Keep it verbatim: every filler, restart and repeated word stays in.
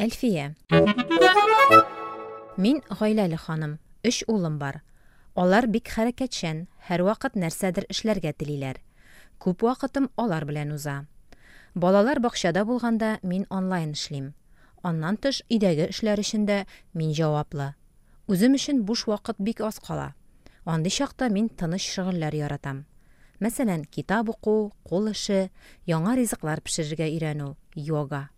Әлфия. Мин гаиләле ханым, өч улым бар. Алар бик хәрәкәтчән, һәрвакыт нәрсәдер эшләргә телиләр. Күп вакытым алар белән уза. Балалар бакчада булганда мин онлайн эшлим. Аннан тыш өйдәге эшләр өчен дә мин җаваплы. Үзем өчен буш вакыт бик аз кала. Андый чакта мин тыныч шөгыльләр яратам. Мәсәлән, китап уку, кул эше, яңа ризыклар пешерергә өйрәнү, йога.